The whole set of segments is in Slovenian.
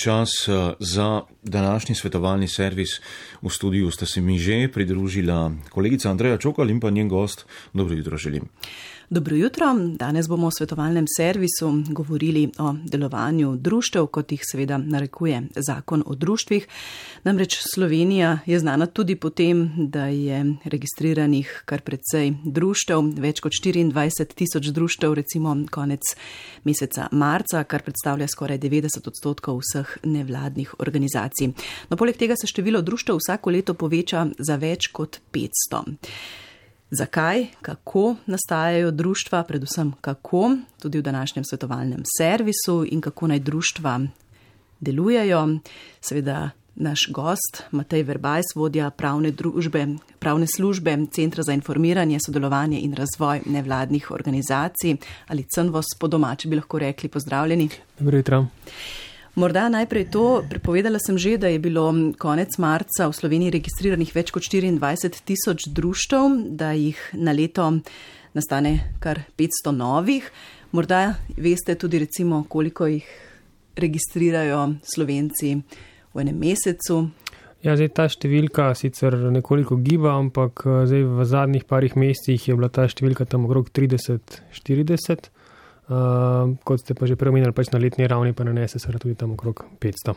čas za današnji svetovalni servis. V studiu sta se mi že pridružila kolegica Andreja Čokal in pa njen gost. Dobro jutro želim. Dobro jutro. Danes bomo v svetovalnem servisu govorili o delovanju društev, kot jih seveda narekuje zakon o društvih. Namreč Slovenija je znana tudi po tem, da je registriranih kar precej društev, več kot 24,000 društev, recimo konec meseca marca, kar predstavlja skoraj 90% vseh nevladnih organizacij. No, poleg tega se število društev vsako leto poveča za več kot 500. Zakaj, kako nastajajo društva, predvsem kako, tudi v današnjem svetovalnem servisu in kako naj društva delujejo. Seveda naš gost Matej Verbajs, vodja pravne službe Centra za informiranje, sodelovanje in razvoj nevladnih organizacij, ali CNVOS po domači bi lahko rekli. Pozdravljeni. Dobro jutro. Morda najprej to, prepovedala sem že, da je bilo konec marca v Sloveniji registriranih več kot 24,000 društev, da jih na leto nastane kar 500 novih. Morda veste tudi recimo, koliko jih registrirajo Slovenci v enem mesecu. Ja, zdaj ta številka sicer nekoliko giba, ampak zdaj v zadnjih parih mesecih je bila ta številka tam okrog 30-40. Kot ste pa že preomenili, pač na letni ravni pa nanese se tudi tam okrog 500.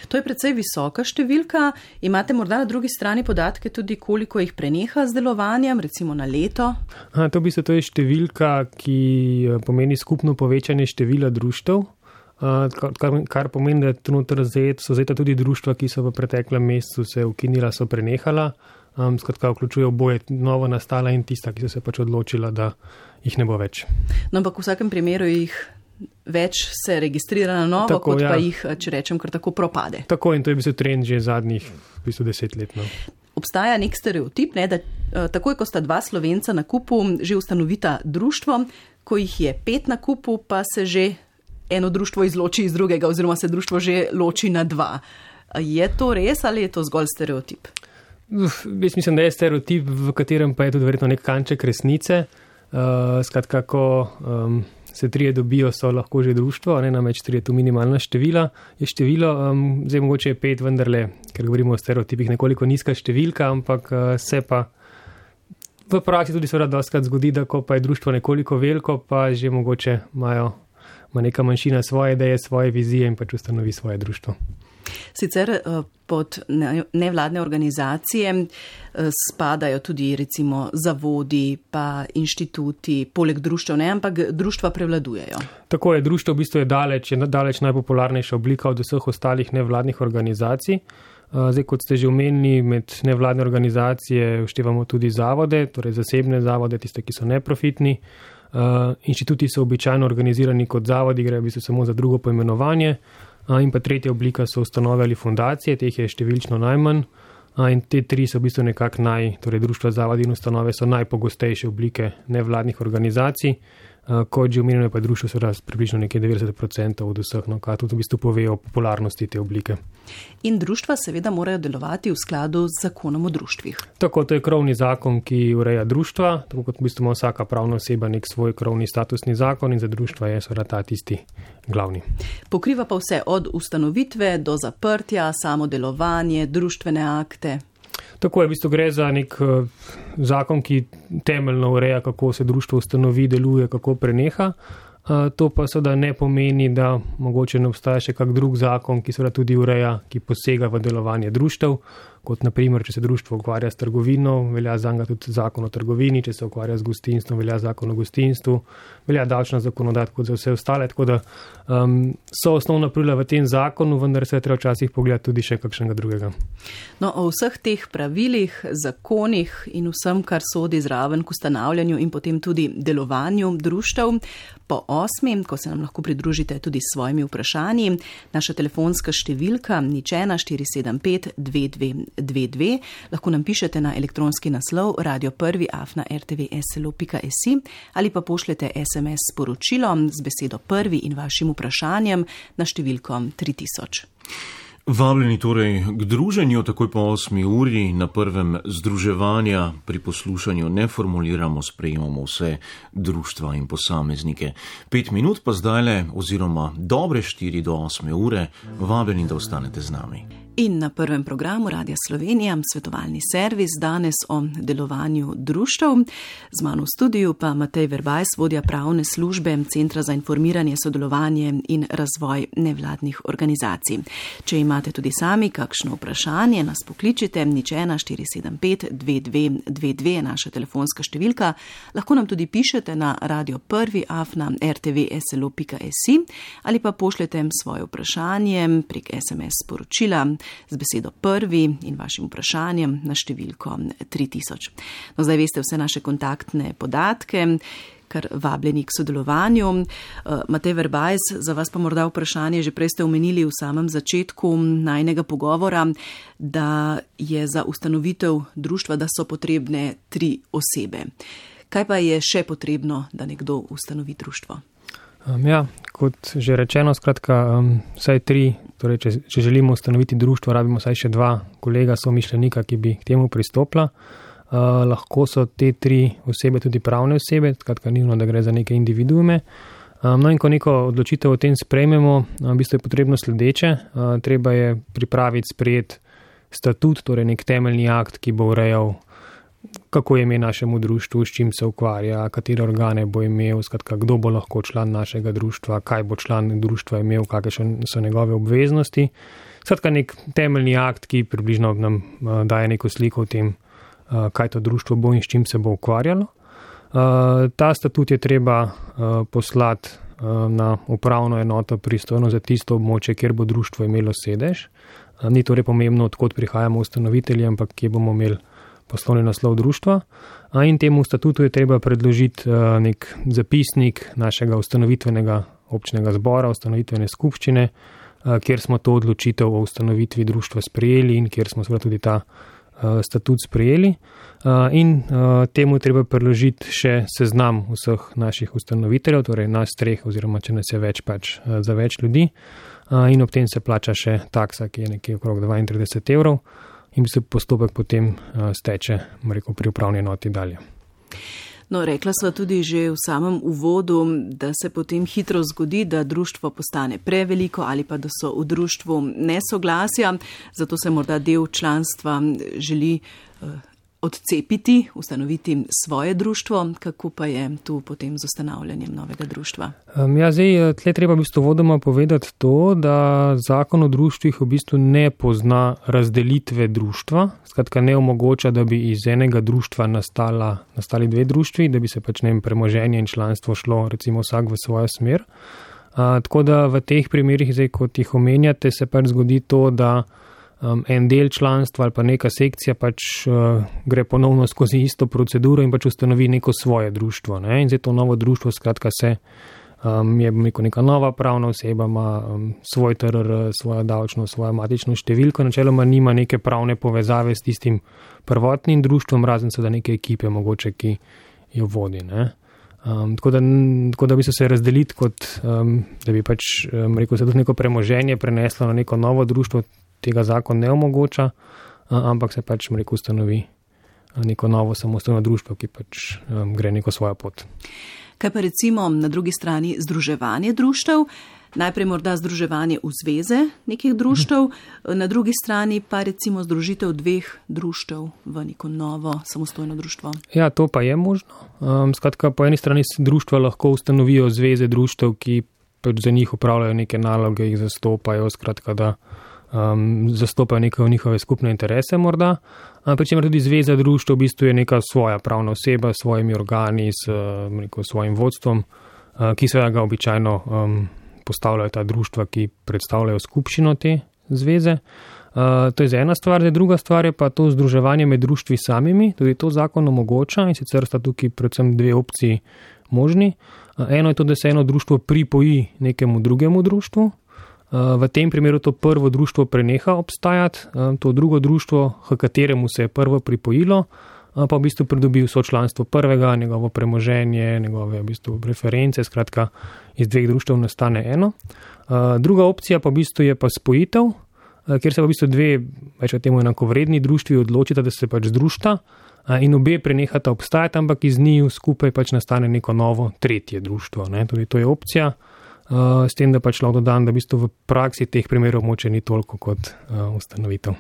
To je precej visoka številka. Imate morda na drugi strani podatke tudi, koliko jih preneha z delovanjem, recimo na leto? To je številka, ki pomeni skupno povečanje števila društev, kar pomeni, da so zajeta tudi društva, ki so v preteklem mesecu se ukinila, so prenehala. Skratka, vključuje oboje, novo nastala in tista, ki so se pač odločila, da jih ne bo več. No, ampak v vsakem primeru jih več se registrira na novo, tako, kot pa jih, če rečem, kar tako propade. Tako, in to je bil trend že zadnjih 10 let. No. Obstaja nek stereotip, da takoj, ko sta dva Slovenca na kupu, že ustanovita društvo, ko jih je 5 na kupu, pa se že eno društvo izloči iz drugega, oziroma se društvo že loči na 2. Je to res ali je to zgolj stereotip? Jaz mislim, da je stereotip, v katerem pa je tudi verjetno nek kanček resnice. Skratka, ko se 3 dobijo, so lahko že društvo, namreč 3 je tu minimalna število. Zdaj mogoče je 5 vendarle, ker govorimo o stereotipih, nekoliko nizka številka, ampak se pa v praksi tudi seveda dostakrat zgodi, da ko pa je društvo nekoliko veliko, pa že mogoče ima neka manjšina svoje ideje, svoje vizije in pač ustanovi svoje društvo. Sicer pod nevladne organizacije spadajo tudi recimo zavodi pa inštituti, poleg društev ne, ampak društva prevladujejo. Tako je, društvo v bistvu je daleč najpopularnejša oblika od vseh ostalih nevladnih organizacij. Zdaj, kot ste že omenili, med nevladne organizacije vštevamo tudi zavode, torej zasebne zavode, tiste, ki so neprofitni. Inštituti so običajno organizirani kot zavodi, grejo v bistvu samo za drugo poimenovanje. In pa tretja oblika so ustanove ali fundacije, teh je številčno najmanj. In te 3 so v bistvu nekako torej društva, zavodi in ustanove so najpogostejše oblike nevladnih organizacij. Kot že omenjeno, pa društvo seveda približno nekaj 90% od vseh, kar tudi v bistvu pove o popularnosti te oblike. In društva seveda morajo delovati v skladu z zakonom o društvih. Tako, to je krovni zakon, ki ureja društva, tako kot v bistvu ima vsaka pravna oseba nek svoj krovni statusni zakon in za društva je seveda ta tisti glavni. Pokriva pa vse od ustanovitve do zaprtja, samo delovanje, društvene akte. Tako je, v bistvu gre za nek zakon, ki temeljno ureja, kako se društvo ustanovi, deluje, kako preneha. To pa seveda ne pomeni, da mogoče ne obstaja še kak drug zakon, ki seveda tudi ureja, ki posega v delovanje društev. Kot naprimer, če se društvo ukvarja s trgovino, velja zanj tudi zakon o trgovini, če se ukvarja z gostinstvom, velja zakon o gostinstvu, velja davčna zakonodaja kot za vse ostale, tako da so osnovna pravila v tem zakonu, vendar se je treba včasih pogledati tudi še kakšnega drugega. No, o vseh teh pravilih, zakonih in vsem, kar sodi zraven k ustanavljanju in potem tudi delovanju društev, po 8, ko se nam lahko pridružite tudi s svojimi vprašanji, naša telefonska številka 01475 2222, lahko nam pišete na elektronski naslov radio1@rtvslo.si ali pa pošljete SMS sporočilo z besedo prvi in vašim vprašanjem na številko 3000. Vabljeni torej k druženju takoj po 8. uri na prvem združevanja. Pri poslušanju ne formuliramo, sprejemamo vse društva in posameznike. 5 minut pa zdajle, oziroma dobre 4 do 8. ure, vabljeni, da ostanete z nami. In na prvem programu Radia Slovenija, svetovalni servis, danes o delovanju društev. Z mano v studiu pa Matej Verbajs, vodja pravne službe Centra za informiranje, sodelovanje in razvoj nevladnih organizacij. Če imate tudi sami kakšno vprašanje, nas pokličite, 014752222, naša telefonska številka. Lahko nam tudi pišete na radio1@rtvslo.si ali pa pošljete svoje vprašanje prek SMS sporočila z besedo prvi in vašim vprašanjem na številko 3000. No, zdaj veste vse naše kontaktne podatke, kar vabljeni k sodelovanju. Matej Verbajs, za vas pa morda vprašanje, že prej ste omenili v samem začetku najnega pogovora, da je za ustanovitev društva, da so potrebne 3 osebe. Kaj pa je še potrebno, da nekdo ustanovi društvo? Kot že rečeno, skratka, vsaj 3, torej če želimo ustanoviti društvo, rabimo vsaj še 2 kolega somišljenika, ki bi k temu pristopila. Lahko so te 3 osebe tudi pravne osebe, skratka ni nujno, da gre za neke individuume. No in ko neko odločitev o tem sprejmemo, v bistvu je potrebno sledeče. Treba je pripraviti, sprejeti statut, torej nek temeljni akt, ki bo urejal, kako je ime našemu društvu, s čim se ukvarja, katere organe bo imel, skratka, kdo bo lahko član našega društva, kaj bo član društva imel, kakšne so njegove obveznosti. Skratka, nek temeljni akt, ki približno nam daje neko sliko o tem, kaj to društvo bo in s čim se bo ukvarjalo. Ta statut je treba poslati na upravno enoto pristojno za tisto območje, kjer bo društvo imelo sedež. Ni torej pomembno, odkot prihajamo ustanovitelji, ampak kje bomo imeli poslovni naslov društva. In temu statutu je treba predložiti nek zapisnik našega ustanovitvenega občnega zbora, ustanovitvene skupščine, kjer smo to odločitev o ustanovitvi društva sprejeli in kjer smo seveda tudi ta statut sprejeli. In temu je treba predložiti še seznam vseh naših ustanoviteljev, torej nas 3 oziroma če nas je več, pač za več ljudi. In ob tem se plača še taksa, ki je nekje okrog 32 evrov. In se postopek potem steče, pri upravni enoti dalje. No, rekla sva tudi že v samem uvodu, da se potem hitro zgodi, da društvo postane preveliko ali pa da so v društvu nesoglasja, zato se morda del članstva želi odcepiti, ustanoviti svoje društvo. Kako pa je tu potem z ustanavljanjem novega društva? Tle treba v bistvu vodoma povedati to, da zakon o društvih v bistvu ne pozna razdelitve društva, skratka ne omogoča, da bi iz enega društva nastali 2 društvi, da bi se pač premoženje in članstvo šlo recimo vsak v svojo smer. Tako da v teh primerih, zdaj kot jih omenjate, se pač zgodi to, da en del članstva ali pa neka sekcija pač gre ponovno skozi isto proceduro in pač ustanovi neko svoje društvo. In zdaj to novo društvo skratka je neka nova pravna oseba, ima svoj TRR, svojo davčno, svojo matično številko, načeloma nima neke pravne povezave s tistim prvotnim društvom, razen seveda neke ekipe mogoče, ki jo vodi. Tako da bi se razdeliti kot, da bi pač se tudi neko premoženje preneslo na neko novo društvo, tega zakon ne omogoča, ampak se pač ustanovi neko novo samostojno društvo, ki pač gre neko svojo pot. Kaj pa recimo na drugi strani združevanje društev? Najprej morda združevanje v zveze nekih društev, na drugi strani pa recimo združitev 2 društev v neko novo samostojno društvo. Ja, to pa je možno. Skratka, po eni strani društva lahko ustanovijo zveze društev, ki pač za njih upravljajo neke naloge, jih zastopajo, skratka, da zastopajo neke njihove skupne interese morda. Pričemer tudi zveza društev v bistvu je neka svoja pravna oseba s svojimi organi, s svojim vodstvom, ki seveda ga običajno postavljajo ta društva, ki predstavljajo skupščino te zveze. To je za ena stvar, druga stvar je pa to združevanje med društvi samimi, tudi to zakon omogoča in sicer sta tukaj predvsem 2 opciji možni. Eno je to, da se eno društvo pripoji nekemu drugemu društvu. V tem primeru to prvo društvo preneha obstajati, to drugo društvo, h kateremu se je prvo pripojilo, pa v bistvu pridobi vso članstvo prvega, njegovo premoženje, njegove v bistvu reference, skratka iz 2 društev nastane eno. Druga opcija pa v bistvu je pa spojitev, kjer se v bistvu dve, več temu enakovredni društvi odločita, da se pač združita in obe prenehata obstajati, ampak iz njiju skupaj pač nastane neko novo tretje društvo. Torej, to je opcija, s tem, da pač lahko dodam, da v bistvu v praksi teh primerov moče ni toliko kot ustanovitev.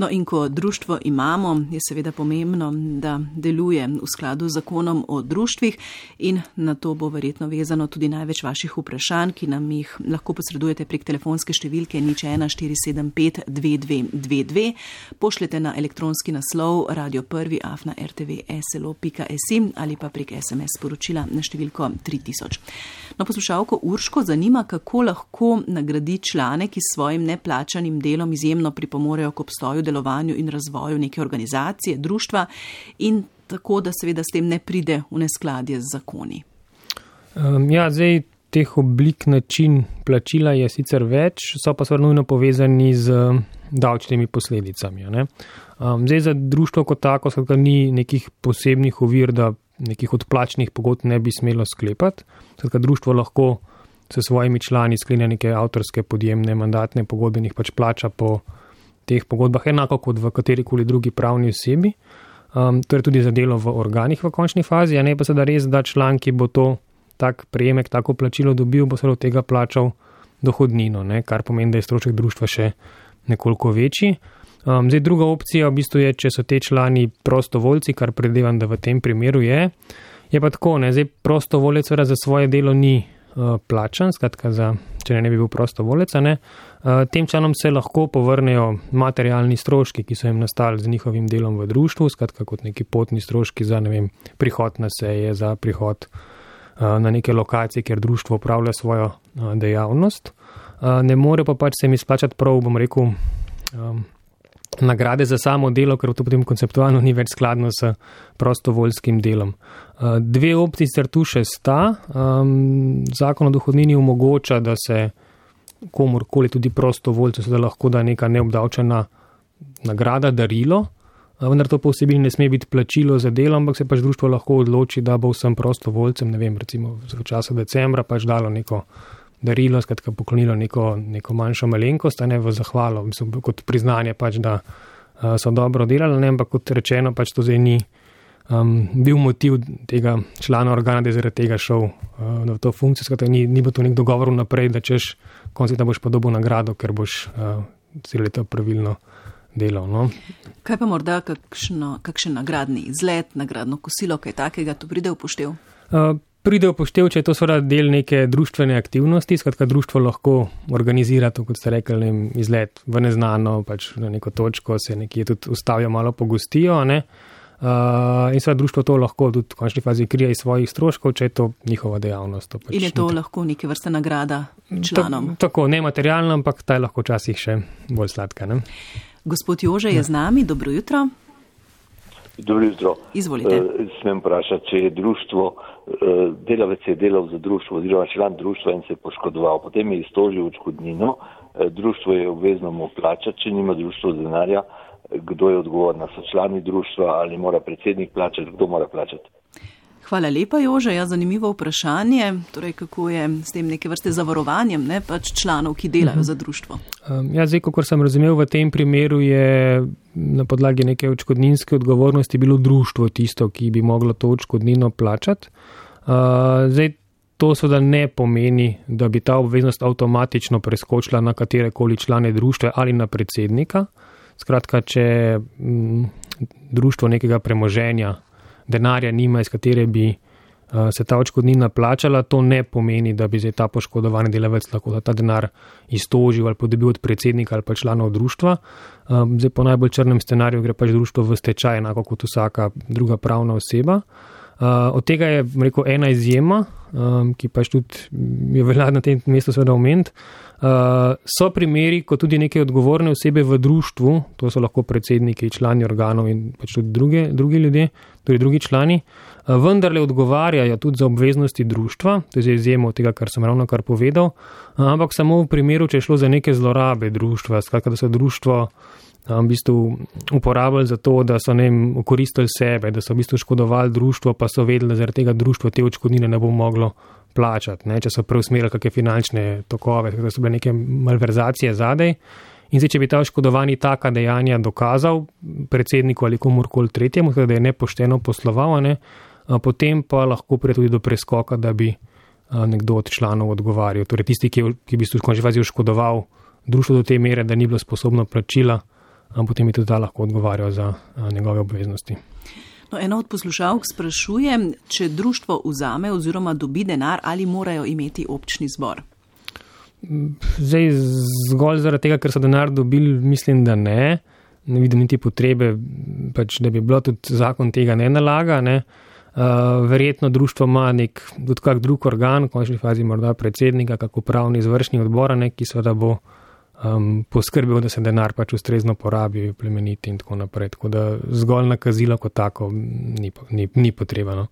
No in ko društvo imamo, je seveda pomembno, da deluje v skladu z zakonom o društvih in na to bo verjetno vezano tudi največ vaših vprašanj, ki nam jih lahko posredujete prek telefonske številke 014752222, pošljete na elektronski naslov radio1@rtv.slo.si ali pa prek SMS sporočila na številko 3000. No, poslušalko Urško zanima, kako lahko nagradi člane, ki s svojim neplačanim delom izjemno pripomorejo k obstoju, delovanju in razvoju neke organizacije, društva in tako, da seveda s tem ne pride v neskladje z zakoni. Zdaj teh oblik način plačila je sicer več, so pa seveda nujno povezani z davčnimi posledicami. Zdaj za društvo kot tako seveda ni nekih posebnih ovir, da nekih odplačnih pogodb ne bi smelo sklepati. Seveda društvo lahko s svojimi člani sklenja neke avtorske, podjemne, mandatne pogodbe in jih pač plača po teh pogodbah, enako kot v katerikoli drugi pravni osebi. To je tudi za delo v organih v končni fazi, a ne pa seveda res, da član, ki bo to tak prejemek, tako plačilo dobil, bo seveda od tega plačal dohodnino, kar pomeni, da je strošek društva še nekoliko večji. Zdaj druga opcija v bistvu je, če so te člani prostovoljci, kar predvidevam, da v tem primeru je pa tako, zdaj prostovoljec za svoje delo ni plačan, skratka, če ne bi bil prostovoljec, tem članom se lahko povrnejo materialni stroški, ki so jim nastali z njihovim delom v društvu, skratka kot neki potni stroški za, prihod na seje, za prihod na neke lokacije, kjer društvo upravlja svojo dejavnost. Ne more pa pač se mi splačati prav, bom rekel, nagrade za samo delo, ker to potem konceptualno ni več skladno s prostovoljskim delom. Dve opciji sicer tu še sta. Zakon o dohodnini omogoča, da se komorkoli, tudi prostovoljcu, da lahko da neka neobdavčena nagrada, darilo, vendar to po vsebini ne sme biti plačilo za delo, ampak se pač društvo lahko odloči, da bo vsem prostovoljcem, recimo v času decembra pač dalo neko darilo, skratka poklonilo neko manjšo malenkost, v zahvalo, kot priznanje pač, da so dobro delali, ampak kot rečeno, pač to zdaj ni bil motiv tega člana organa, da je zaradi tega šel v to funkcijo, skratka ni bo to nek dogovor naprej, da češ konec leta boš pa dobil nagrado, ker boš celo leto pravilno delal. No. Kaj pa morda kakšen nagradni izlet, nagradno kosilo, kaj takega tu pride v poštev? Pride v poštev, če je to seveda del neke društvene aktivnosti, skratka društvo lahko organizira to, kot ste rekli, izlet v neznano, pač na neko točko, se nekje tudi ustavijo, malo pogostijo, in seveda društvo to lahko tudi v končni fazi krije iz svojih stroškov, če je to njihova dejavnost. In je to lahko neke vrste nagrada članom? Tako, ne materialno, ampak ta je lahko včasih še bolj sladka. Gospod Jože je z nami, dobro jutro. Dobro jutro. Izvolite. Smem vprašati, če je društvo, delavec je delal za društvo oziroma član društva in se je poškodoval. Potem je iztožil odškodnino, društvo je obvezno mu plačati, če nima društvo denarja. Kdo je odgovorna? So člani društva ali mora predsednik plačati? Kdo mora plačati? Hvala lepa, Jože. Zanimivo vprašanje. Torej, kako je s tem neke vrste zavarovanjem pač članov, ki delajo za društvo? Zdaj, kakor sem razumel, v tem primeru je na podlagi neke odškodninske odgovornosti bilo društvo tisto, ki bi moglo to odškodnino plačati. Zdaj, to seveda ne pomeni, da bi ta obveznost avtomatično preskočila na katerekoli člane društva ali na predsednika. Skratka, če društvo nekega premoženja, denarja nima, iz katere bi se ta odškodnina plačala, to ne pomeni, da bi zdaj ta poškodovani delavec lahko ta denar iztožil ali dobil od predsednika ali pa članov društva. Zdaj po najbolj črnem scenariju gre pač društvo v stečaj, enako kot vsaka druga pravna oseba. Od tega je, rekel, ena izjema, ki pač tudi je velja na tem mestu seveda omeniti. So primeri, ko tudi neke odgovorne osebe v društvu, to so lahko predsedniki, člani organov in pač tudi drugi ljudje, torej drugi člani, vendarle odgovarjajo tudi za obveznosti društva, to je izjema od tega, kar sem ravnokar povedal, ampak samo v primeru, če je šlo za neke zlorabe društva, skratka, da so društvo v bistvu uporabljali za to, da so okoristili sebe, da so v bistvu škodovali društvo, pa so vedeli, da zaradi tega društvo te odškodnine ne bo moglo plačati, če so preusmerili kakšne finančne tokove, da so bile neke malverzacije zadej In zdaj, če bi ta oškodovani taka dejanja dokazal predsedniku ali komurkoli tretjemu, da je nepošteno posloval, potem pa lahko pride tudi do preskoka, da bi nekdo od članov odgovarjal. Torej tisti, ki bi v končni fazi oškodoval društvo do te mere, da ni bilo sposobno plačila, potem bi tudi ta lahko odgovarjal za njegove obveznosti. No, ena od poslušalk sprašuje, če društvo vzame oziroma dobi denar, ali morajo imeti občni zbor? Zdaj, zgolj zaradi tega, ker so denar dobili, mislim, da ne. Ne vidim niti potrebe, da bi bilo tudi zakon tega ne nalaga. Verjetno društvo ima tudi kak drug organ, v končni fazi morda predsednika, kako upravni izvršni odbor, ki seveda bo poskrbel, da se denar ustrezno porabi, plemeniti in tako naprej. Tako da zgolj nakazilo kot tako ni potrebno.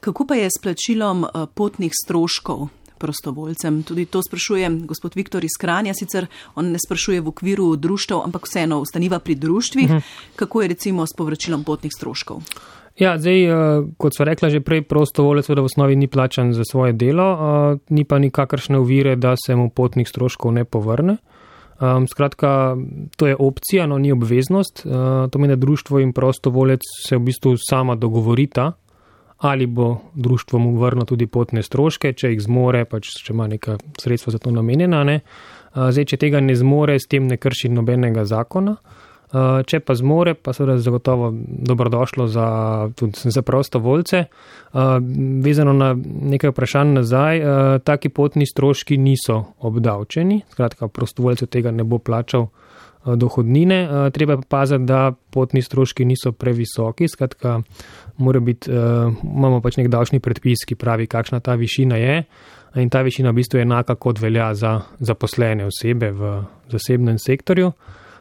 Kako pa je s plačilom potnih stroškov prostovoljcem? Tudi to sprašuje gospod Viktor iz Kranja, sicer on ne sprašuje v okviru društev, ampak vseeno ostaniva pri društvih. Kako je recimo s povračilom potnih stroškov? Ja, zdaj, kot sva rekla že prej, prostovoljec v osnovi ni plačan za svoje delo, ni pa nikakršne ovire, da se mu potnih stroškov ne povrne. Skratka, to je opcija, no ni obveznost. To meni, da društvo in prostovoljec se v bistvu sama dogovorita, ali bo društvo mu vrnilo tudi potne stroške, če jih zmore, če ima neka sredstva za to namenjena. Zdaj, če tega ne zmore, s tem ne krši nobenega zakona. Če pa zmore, pa seveda zagotovo dobrodošlo tudi za prostovoljce. Vezano na nekaj vprašanj nazaj, taki potni stroški niso obdavčeni, skratka prostovoljcev tega ne bo plačal dohodnine. Treba pa paziti, da potni stroški niso previsoki, skratka imamo nek davčni predpis, ki pravi, kakšna ta višina je, in ta višina v bistvu je enaka, kot velja za zaposlene osebe v zasebnem sektorju.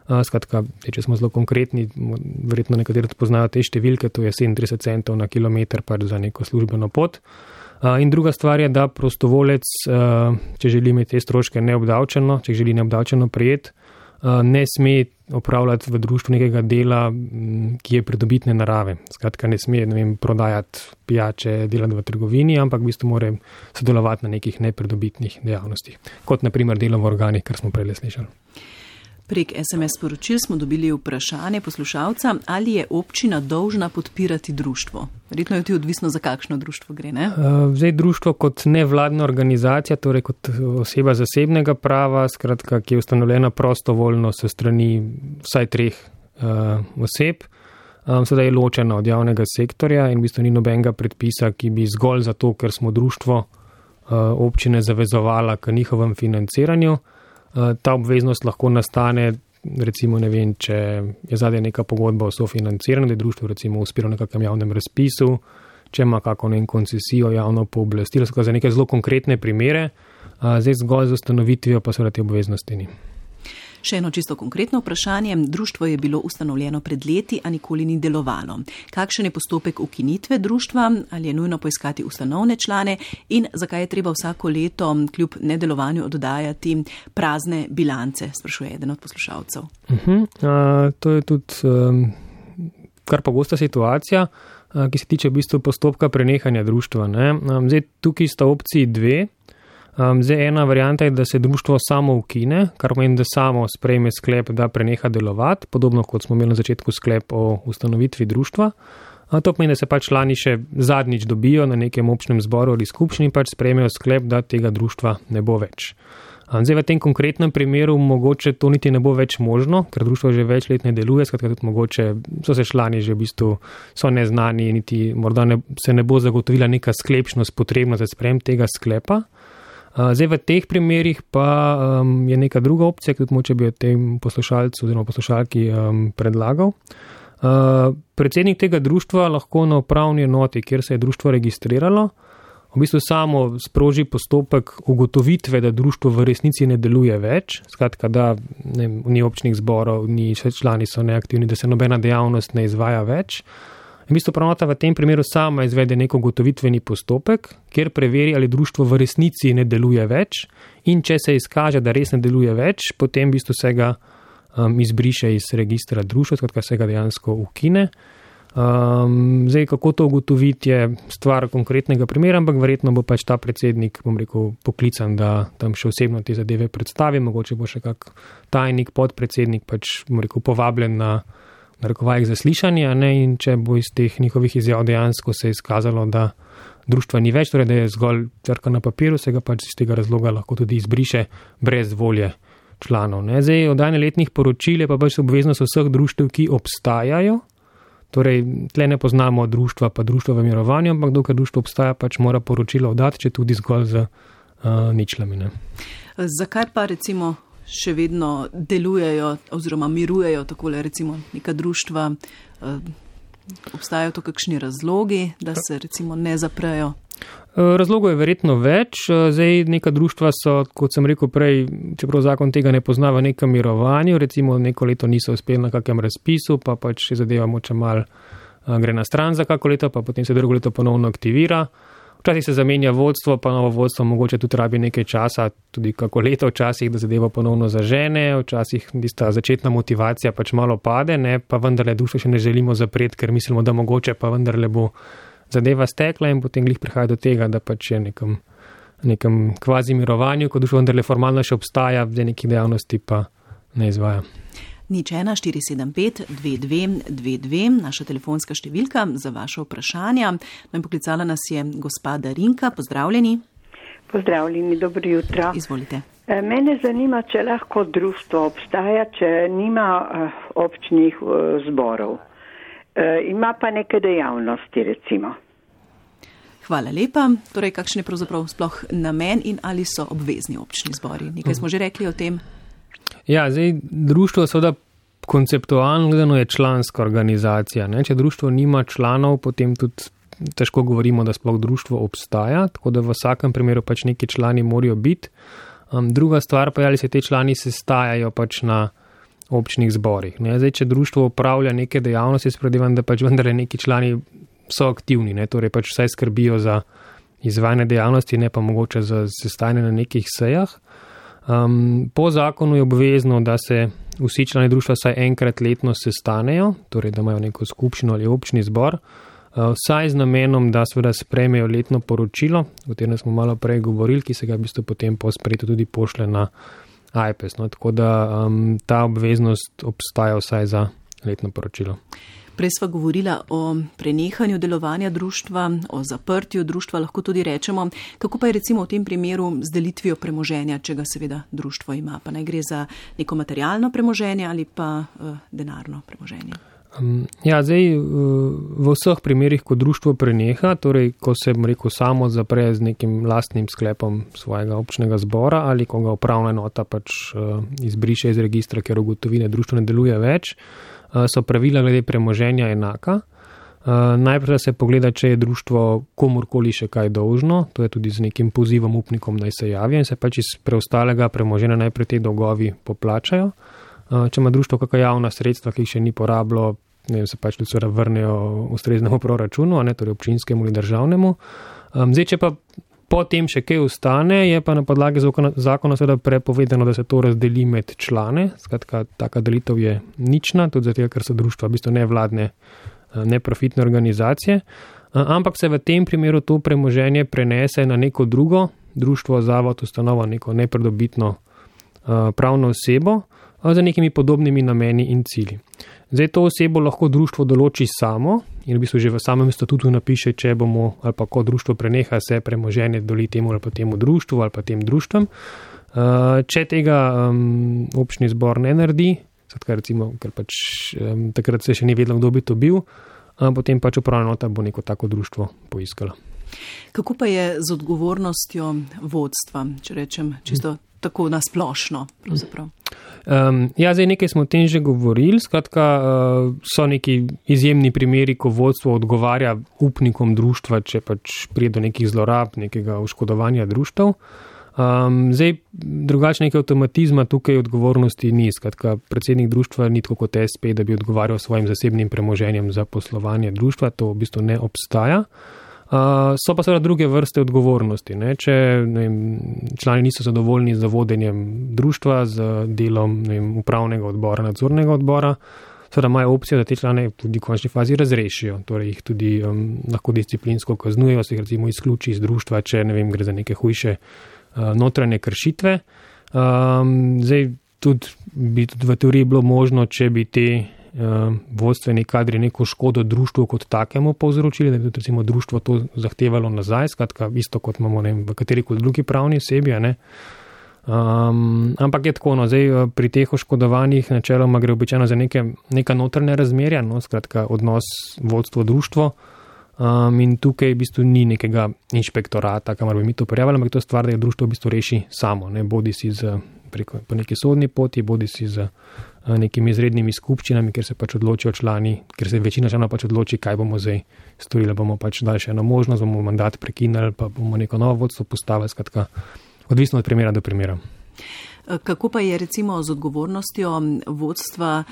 Skratka, če smo zelo konkretni, verjetno nekateri poznajo te številke, to je 37 centov na kilometr za neko službeno pot. In druga stvar je, da prostovolec, če želi imeti te stroške neobdavčeno, če želi neobdavčeno prijeti, ne sme opravljati v društvu nekega dela, ki je pridobitne narave. Skratka, ne sme prodajati pijače, delati v trgovini, ampak v bistvu mora sodelovati na nekih nepridobitnih dejavnostih, kot na primer delo v organih, kar smo prej slišali. Prek SMS sporočil smo dobili vprašanje poslušalca, ali je občina dolžna podpirati društvo. Verjetno je tudi odvisno, za kakšno društvo gre, ne? Zdaj, društvo kot nevladna organizacija, torej kot oseba zasebnega prava, skratka, ki je ustanovljena prostovoljno s strani vsaj 3 oseb, sedaj je ločena od javnega sektorja in v bistvu ni nobenega predpisa, ki bi zgolj zato, ker smo društvo občine zavezovala k njihovem financiranju. Ta obveznost lahko nastane, recimo, če je zadaj neka pogodba o sofinanciranju, da je društvo recimo uspelo na kakšnem javnem razpisu, če ima kako koncesijo, javno pooblastilo, za neke zelo konkretne primere, zdaj zgolj z ustanovitvijo pa seveda te obveznosti ni. Še eno čisto konkretno vprašanje. Društvo je bilo ustanovljeno pred leti, a nikoli ni delovalo. Kakšen je postopek ukinitve društva? Ali je nujno poiskati ustanovne člane? In zakaj je treba vsako leto kljub nedelovanju oddajati prazne bilance? Sprašuje eden od poslušalcev. To je tudi kar pogosta situacija, ki se tiče v bistvu postopka prenehanja društva. Zdaj, tukaj sta opciji 2. Zdaj, ena varianta je, da se društvo samo ukine, kar pomeni, da samo sprejme sklep, da preneha delovati, podobno kot smo imeli na začetku sklep o ustanovitvi društva. To pomeni, da se člani še zadnjič dobijo na nekem občnem zboru ali skupščini in sprejmejo sklep, da tega društva ne bo več. Zdaj, v tem konkretnem primeru mogoče to niti ne bo več možno, ker društvo že več let ne deluje, skratka tudi mogoče so se člani že v bistvu so neznani, niti morda se ne bo zagotovila neka sklepčnost potrebna za sprejem tega sklepa. Zdaj, v teh primerih pa je neka druga opcija, ki tudi moče bi o tem poslušalcu oziroma poslušalki predlagal. Predsednik tega društva lahko na upravni enoti, kjer se je društvo registriralo, v bistvu samo sproži postopek ugotovitve, da društvo v resnici ne deluje več, skratka, da ni občnih zborov, ni člani so neaktivni, da se nobena dejavnost ne izvaja več. In v bistvu upravna v tem primeru sama izvede nek ugotovitveni postopek, kjer preveri, ali društvo v resnici ne deluje več, in če se izkaže, da res ne deluje več, potem v bistvu se ga izbriše iz registra društva, skratka se ga dejansko ukine. Zdaj, kako to ugotoviti, je stvar konkretnega primera, ampak verjetno bo pač ta predsednik, poklican, da tam še osebno te zadeve predstavi, mogoče bo še kak tajnik, podpredsednik pač, povabljen na narekovajih zaslišanja, ne, in če bo iz teh njihovih izjav dejansko se izkazalo, da društva ni več, torej da je zgolj črka na papirju, se ga pač iz tega razloga lahko tudi izbriše brez volje članov. Ne. Zdaj, oddajanje letnih poročil je pa pač obveznost vseh društev, ki obstajajo. Torej, tle ne poznamo društva, pa društva v mirovanju, ampak dokler društvo obstaja, pač mora poročilo oddati, če tudi zgolj z ničlami. Ne. Zakaj pa recimo še vedno delujejo oziroma mirujejo takole recimo neka društva? Obstajajo to kakšni razlogi, da se recimo ne zaprejo? Razlogov je verjetno več. Zdaj, neka društva so, kot sem rekel prej, čeprav zakon tega ne pozna, v nekem mirovanju, recimo neko leto niso uspeli na kakem razpisu, pa pač zadeva moče mal gre na stran za kako leto, pa potem se drugo leto ponovno aktivira. Včasih se zamenja vodstvo, pa novo vodstvo mogoče tudi rabi nekaj časa, tudi kako leto včasih, da zadeva ponovno zažene, včasih tista začetna motivacija pač malo pade, ne, pa vendarle društvo še ne želimo zapreti, ker mislimo, da mogoče pa vendarle bo zadeva stekla in potem glih prihaja do tega, da pač je nekem kvazi mirovanju, ko društvo vendarle formalno še obstaja, v nekih dejavnosti pa ne izvaja. 01475-2222, naša telefonska številka za vaše vprašanja. No in poklicala nas je gospa Darinka. Pozdravljeni. Pozdravljeni, dobro jutro. Izvolite. Mene zanima, če lahko društvo obstaja, če nima občnih zborov. Ima pa neke dejavnosti, recimo. Hvala lepa. Torej, kakšen je pravzaprav sploh namen in ali so obvezni občni zbori? Nekaj smo že rekli o tem. Ja, zdaj društvo seveda konceptualno gledano je članska organizacija. Ne? Če društvo nima članov, potem tudi težko govorimo, da sploh društvo obstaja, tako da v vsakem primeru pač neki člani morajo biti. Druga stvar pa je, ali se te člani sestajajo pač na občnih zborih. Ne? Zdaj, če društvo upravlja neke dejavnosti, spredjevam, da pač vendarle neki člani so aktivni, ne? Torej pač vsaj skrbijo za izvajanje dejavnosti, ne pa mogoče za sestajanje na nekih sejah. Po zakonu je obvezno, da se vsi člani društva vsaj enkrat letno sestanejo, torej da imajo neko skupščino ali občni zbor, vsaj z namenom, da seveda sprejmejo letno poročilo, o katerem smo malo prej govorili, ki se ga v bistvu potem po sprejetju tudi pošlje na AJPES. No, tako da ta obveznost obstaja vsaj za letno poročilo. Prej sva govorila o prenehanju delovanja društva, o zaprtju društva, lahko tudi rečemo, kako pa je recimo v tem primeru z delitvijo premoženja, če ga seveda društvo ima, pa naj gre za neko materialno premoženje ali pa denarno premoženje. Ja, zdaj v vseh primerih, ko društvo preneha, torej ko se samo zapre z nekim lastnim sklepom svojega občnega zbora ali ko ga upravna enota pač izbriše iz registra, ker ugotovi, da društvo ne deluje več, so pravila glede premoženja enaka. Najprej se pogleda, če je društvo komurkoli še kaj dolžno, to je tudi z nekim pozivom upnikom naj se javijo in se pač iz preostalega premoženja najprej te dolgovi poplačajo. Če ima društvo kakšna javna sredstva, ki jih še ni porabilo, se pač tudi vrnejo ustreznemu proračunu, ne, torej občinskemu ali državnemu. Zdaj, če pa potem še kaj ostane, je pa na podlagi zakona seveda prepovedano, da se to razdeli med člane. Skratka, taka delitev je nična, tudi zato, ker so društva v bistvu nevladne, neprofitne organizacije. Ampak se v tem primeru to premoženje prenese na neko drugo društvo, zavod, ustanovo, neko nepridobitno pravno osebo za nekimi podobnimi nameni in cilji. Zdaj to osebo lahko društvo določi samo in v bistvu že v samem statutu napiše, če bomo ali pa ko društvo preneha se premoženje doli temu ali pa temu društvu ali pa tem društvom. Če tega občni zbor ne naredi, recimo, ker pač takrat se še ni vedelo, kdo bi to bil, potem pač upravna enota bo neko tako društvo poiskala. Kako pa je z odgovornostjo vodstva, če rečem čisto tako nasplošno pravzaprav? Ja, zdaj nekaj smo o tem že govorili, skratka so neki izjemni primeri, ko vodstvo odgovarja upnikom društva, če pač pride do nekih zlorab, nekega oškodovanja društev. Zdaj, drugače nekaj avtomatizma tukaj odgovornosti ni, skratka predsednik društva ni tako kot SP, da bi odgovarjal svojim zasebnim premoženjem za poslovanje društva, to v bistvu ne obstaja. So pa seveda druge vrste odgovornosti. Ne? Če člani niso zadovoljni z vodenjem društva, z delom upravnega odbora, nadzornega odbora, seveda imajo opcijo, da te člane tudi v končni fazi razrešijo, torej jih tudi lahko disciplinsko kaznujejo, se jih recimo izključi iz društva, če ne vem, gre za neke hujše notranje kršitve. Zdaj tudi bi tudi v teoriji bilo možno, če bi te vodstveni kadri neko škodo društvu kot takemu povzročili, da bi tudi recimo društvo to zahtevalo nazaj, skratka isto kot imamo v katerikoli drugi pravni osebi, ne. Ampak je tako, no, zdaj pri teh oškodovanjih načeloma gre običajno za neka notranja razmerja, no, skratka odnos vodstvo-društvo, in tukaj v bistvu ni nekega inšpektorata, kamor bi mi to prijavili, ampak to stvar, da je društvo v bistvu reši samo, ne, bodi si po neki sodni poti, bodi si z nekimi izrednimi skupščinami, ker se pač odločijo člani, ker se večina članov pač odloči, kaj bomo zdaj storili, bomo pač dali še eno možnost, bomo mandat prekinili, pa bomo neko novo vodstvo postavili, skratka, odvisno od primera do primera. Kako pa je recimo z odgovornostjo vodstva,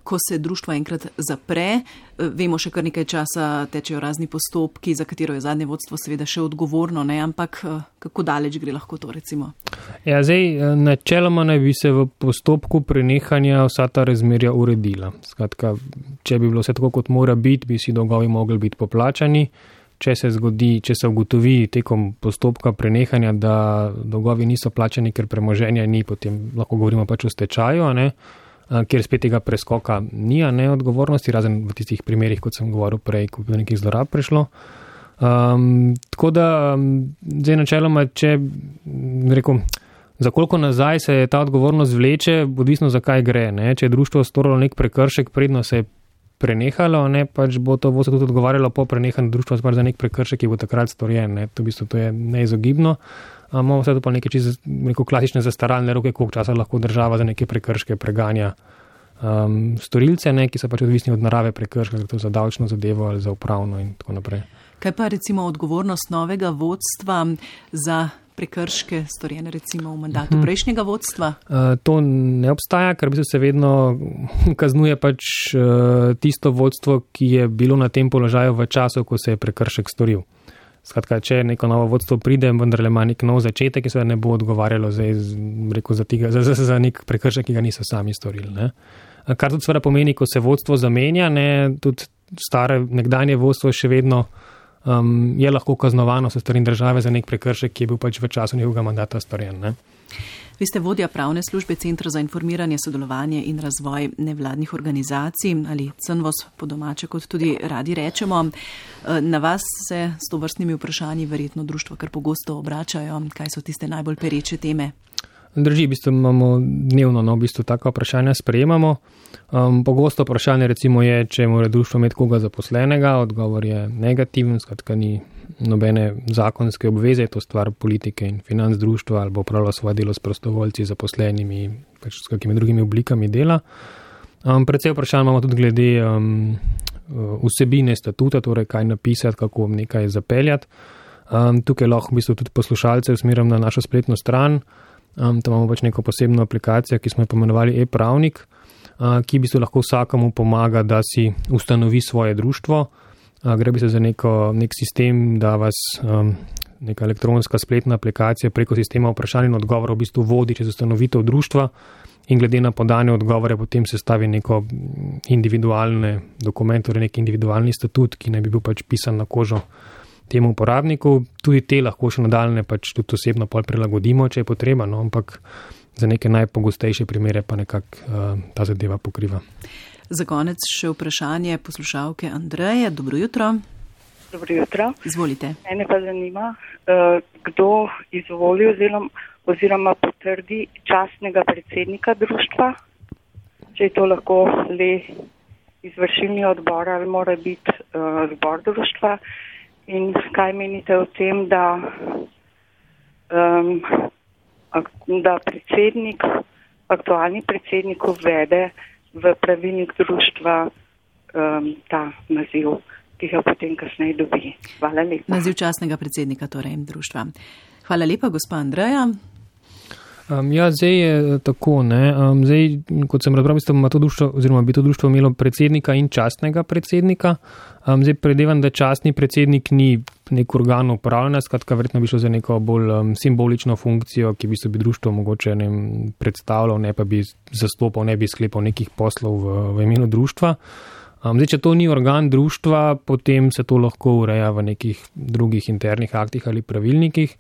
ko se društvo enkrat zapre? Vemo, še kar nekaj časa tečejo razni postopki, za katero je zadnje vodstvo seveda še odgovorno, ne? Ampak kako daleč gre lahko to recimo? Ja, zdaj načeloma naj bi se v postopku prenehanja vsa ta razmerja uredila. Skratka, če bi bilo vse tako, kot mora biti, bi si dolgovi mogli biti poplačani. Če se ugotovi tekom postopka prenehanja, da dolgovi niso plačani, ker premoženja ni, potem lahko govorimo pač o stečaju, ne, kjer spet tega preskoka ni, ne, odgovornosti, razen v tistih primerih, kot sem govoril prej, ko bi do nekih zlorab prišlo. Tako da, zdaj načeloma, če rekel, za koliko nazaj se ta odgovornost vleče, odvisno za kaj gre, ne. Če je društvo storilo nek prekršek, predno se je prenehalo, ne, pač bo to vodstvo tudi odgovarjalo po prenehanju društva za nek prekršek, ki bo takrat storjen, ne, to v bistvu to je neizogibno. Imamo vse to pa neke čisto klasične zastaralne roke, koliko časa lahko država za neke prekrške preganja storilce, ne, ki so pač odvisni od narave prekrška, to za davčno zadevo ali za upravno in tako naprej. Kaj pa recimo odgovornost novega vodstva za prekrške storjene recimo v mandatu prejšnjega vodstva? To ne obstaja, ker se vedno kaznuje pač tisto vodstvo, ki je bilo na tem položaju v času, ko se je prekršek storil. Skratka, če neko novo vodstvo pride, vendarle ima nek nov začetek, ki se ne bo odgovarjalo za nek prekršek, ki ga niso sami storili. Ne. Kar tudi seveda pomeni, ko se vodstvo zamenja, ne, tudi stare nekdanje vodstvo še vedno je lahko kaznovano s strani države za nek prekršek, ki je bil pač v času njegovega mandata storjen. Ne? Vi ste vodja pravne službe Centra za informiranje, sodelovanje in razvoj nevladnih organizacij ali CNVOS po domače, kot tudi radi rečemo. Na vas se s tovrstnimi vprašanji verjetno društvo kar pogosto obračajo. Kaj so tiste najbolj pereče teme? Drži, v bistvu imamo dnevno, v bistvu taka vprašanja sprejemamo. Pogosto vprašanje recimo je, če mora društvo imeti koga zaposlenega, odgovor je negativen, skratka ni nobene zakonske obveze, je to stvar politike in financ društva ali bo upravljalo svoje delo s prostovoljci, zaposlenimi, pač s kakimi drugimi oblikami dela. Predvsej vprašanj imamo tudi glede vsebine statuta, torej kaj napisati, kako nekaj zapeljati. Tukaj lahko v bistvu tudi poslušalce usmerim na našo spletno stran. Tam imamo pač neko posebno aplikacijo, ki smo jo pomenovali e-pravnik, ki v bistvu lahko vsakemu pomaga, da si ustanovi svoje društvo. Gre bi se za nek sistem, da vas neka elektronska spletna aplikacija preko sistema vprašanj in odgovorov v bistvu vodi čez ustanovitev društva in glede na podane odgovore potem se stavi neko individualne dokument, torej nek individualni statut, ki naj bi bil pač pisan na kožo temu uporabniku. Tudi te lahko še nadaljne pač tudi osebno pol prilagodimo, če je potreba, no, ampak za neke najpogostejše primere pa nekako ta zadeva pokriva. Za konec še vprašanje poslušalke Andreje. Dobro jutro. Dobro jutro. Izvolite. Mene pa zanima, kdo izvoli oziroma potrdi častnega predsednika društva, če je to lahko le izvršilni odbor ali mora biti zbor društva. In kaj menite o tem, da predsednik, aktualni predsednik uvede v pravilnik društva ta naziv, ki ga potem kasneje dobi. Hvala lepa. Naziv častnega predsednika torej društva. Hvala lepa, gospa Andreja. Zdaj je tako, ne. Zdaj, kot sem razbral, ima to društvo, oziroma bi to društvo imelo predsednika in častnega predsednika. Zdaj predevam, da častni predsednik ni nek organ upravljanja, skratka, verjetno bi šlo za neko bolj simbolično funkcijo, ki bi društvo mogoče predstavljal, ne pa bi zastopal, ne bi sklepal nekih poslov v imenu društva. Zdaj, če to ni organ društva, potem se to lahko ureja v nekih drugih internih aktih ali pravilnikih.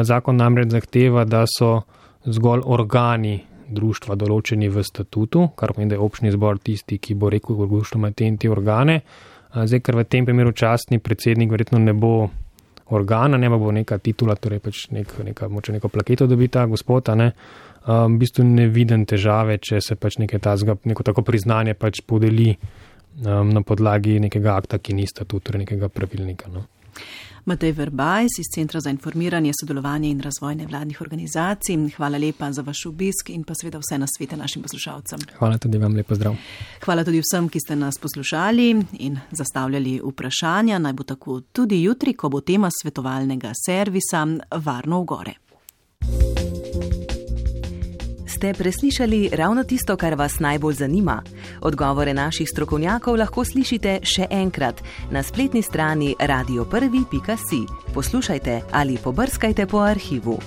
Zakon namreč zahteva, da so zgolj organi društva določeni v statutu, kar pomeni, da je občni zbor tisti, ki bo rekel, da društvo ima te organe. Zdaj, ker v tem primeru častni predsednik verjetno ne bo organa, ne bo neka titula, torej pač neko plaketo dobi ta gospod, ne. V bistvu ne vidim težave, če se pač neko tako priznanje pač podeli na podlagi nekega akta, ki ni statut, torej nekega pravilnika. No. Matej Verbajs iz Centra za informiranje, sodelovanje in razvoj nevladnih organizacij. Hvala lepa za vaš obisk in pa seveda vse nasvete našim poslušalcem. Hvala tudi vam, lepo zdrav. Hvala tudi vsem, ki ste nas poslušali in zastavljali vprašanja. Naj bo tako tudi jutri, ko bo tema svetovalnega servisa Varno v gore. Ste preslišali ravno tisto, kar vas najbolj zanima? Odgovore naših strokovnjakov lahko slišite še enkrat na spletni strani radio1.si. Poslušajte ali pobrskajte po arhivu.